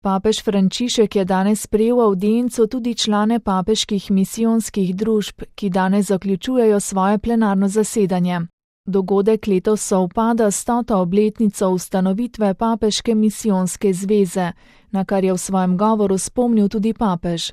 Papež Frančišek je danes sprejel v avdienco tudi člane papeških misijonskih družb, ki danes zaključujejo svoje plenarno zasedanje. Dogodek letos sovpada s 100. obletnico ustanovitve Papeške misijonske zveze, na kar je v svojem govoru spomnil tudi papež.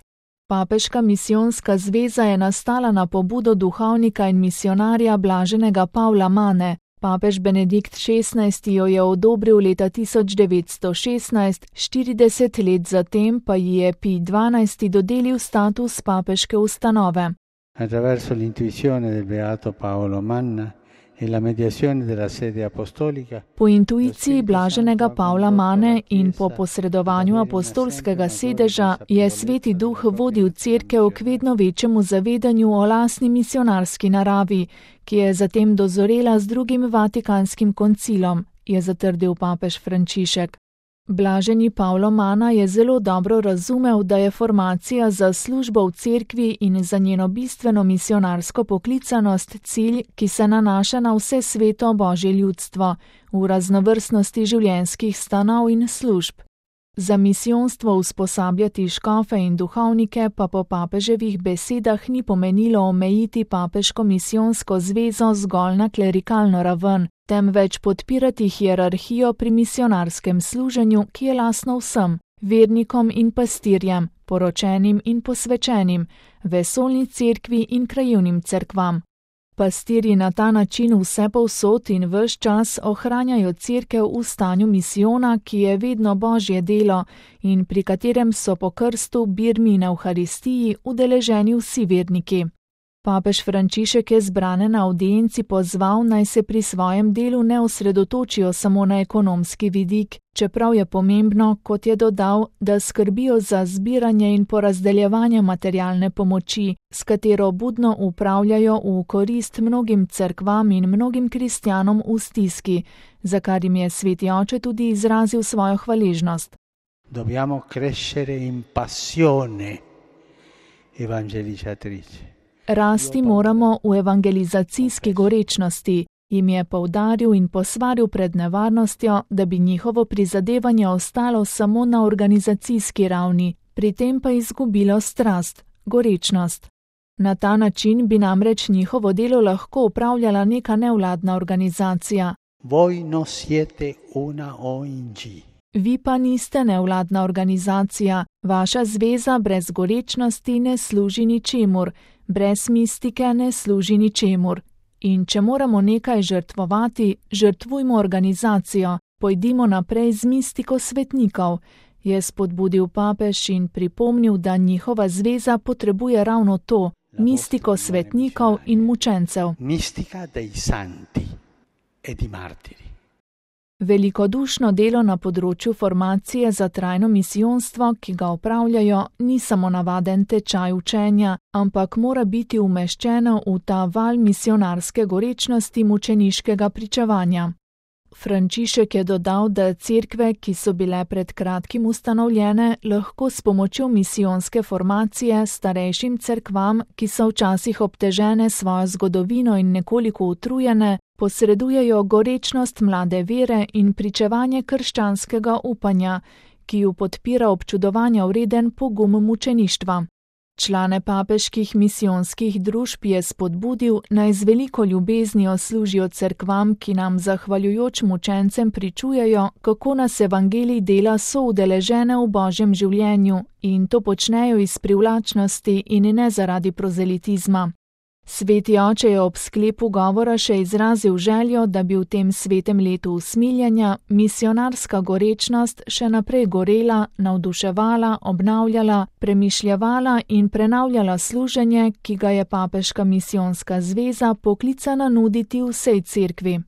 Papeška misijonska zveza je nastala na pobudo duhovnika in misionarja blaženega Pavla Mane. Papež Benedikt XVI jo je odobril leta 1916, 40 let zatem pa ji je Pij XII dodelil status papeške ustanove. Attraverso l'intuizione del beato Paolo Manna e la mediazione della sede apostolica. Po intuiciji blaženega Pavla Mane in po posredovanju apostolskega sedeža je Sveti Duh vodil Cerkev k vedno večjemu zavedanju o lastni misionarski naravi, ki je zatem dozorela z drugim Vatikanskim koncilom, je zatrdil papež Frančišek. Blaženi Pavlo Mana je zelo dobro razumel, da je formacija za službo v cerkvi in za njeno bistveno misionarsko poklicanost cilj, ki se nanaša na vse sveto Božje ljudstvo, v raznovrstnosti življenjskih stanov in služb. Za misijonstvo usposabljati škofe in duhovnike pa po papeževih besedah ni pomenilo omejiti papeško misijonsko zvezo zgolj na klerikalno raven, temveč podpirati hierarhijo pri misionarskem služenju, ki je lastno vsem, vernikom in pastirjem, poročenim in posvečenim, vesoljni cerkvi in krajevnim cerkvam. Pastirji na ta način vsepovsod in ves čas ohranjajo cerkev v stanju misijona, ki je vedno Božje delo in pri katerem so po krstu, birmi in evharistiji udeleženi vsi verniki. Papež Frančišek je zbrane na avdienci pozval, naj se pri svojem delu ne osredotočijo samo na ekonomski vidik, čeprav je pomembno, kot je dodal, da skrbijo za zbiranje in porazdeljevanje materialne pomoči, s katero budno upravljajo v korist mnogim cerkvam in mnogim kristjanom v stiski, za kar jim je Sveti Oče tudi izrazil svojo hvaležnost. Dobbiamo crescere in passione evangelizzatrice. Rasti moramo v evangelizacijski gorečnosti, jim je poudaril in posvaril pred nevarnostjo, da bi njihovo prizadevanje ostalo samo na organizacijski ravni, pri tem pa izgubilo strast, gorečnost. Na ta način bi namreč njihovo delo lahko upravljala neka nevladna organizacija. Voi non siete una ONG. Vi pa niste nevladna organizacija, vaša zveza brez gorečnosti ne služi ničemur, brez mistike ne služi ničemur. In če moramo nekaj žrtvovati, žrtvujmo organizacijo, pojdimo naprej z mistiko svetnikov, je spodbudil papež in pripomnil, da njihova zveza potrebuje ravno to, mistiko svetnikov in mučencev. Mistika dei santi e di martiri. Velikodušno delo na področju formacije za trajno misijonstvo, ki ga opravljajo, ni samo navaden tečaj učenja, ampak mora biti umeščeno v ta val misionarske gorečnosti mučeniškega pričevanja. Frančišek je dodal, da cerkve, ki so bile pred kratkim ustanovljene, lahko s pomočjo misijonske formacije starejšim cerkvam, ki so včasih obtežene svojo zgodovino in nekoliko utrujene, posredujejo gorečnost mlade vere in pričevanje krščanskega upanja, ki ju podpira občudovanja vreden pogum mučeništva. Člane papeških misijonskih družb je spodbudil, naj z veliko ljubeznijo služijo cerkvam, ki nam zahvaljujoč mučencem pričujejo, kako nas evangelij dela soudeležene v Božjem življenju in to počnejo iz privlačnosti in ne zaradi prozelitizma. Sveti Oče je ob sklepu govora še izrazil željo, da bi v tem svetem letu usmiljenja misionarska gorečnost še naprej gorela, navduševala, obnavljala, premišljevala in prenavljala služenje, ki ga je Papeška misijonska zveza poklicana nuditi vsej cerkvi.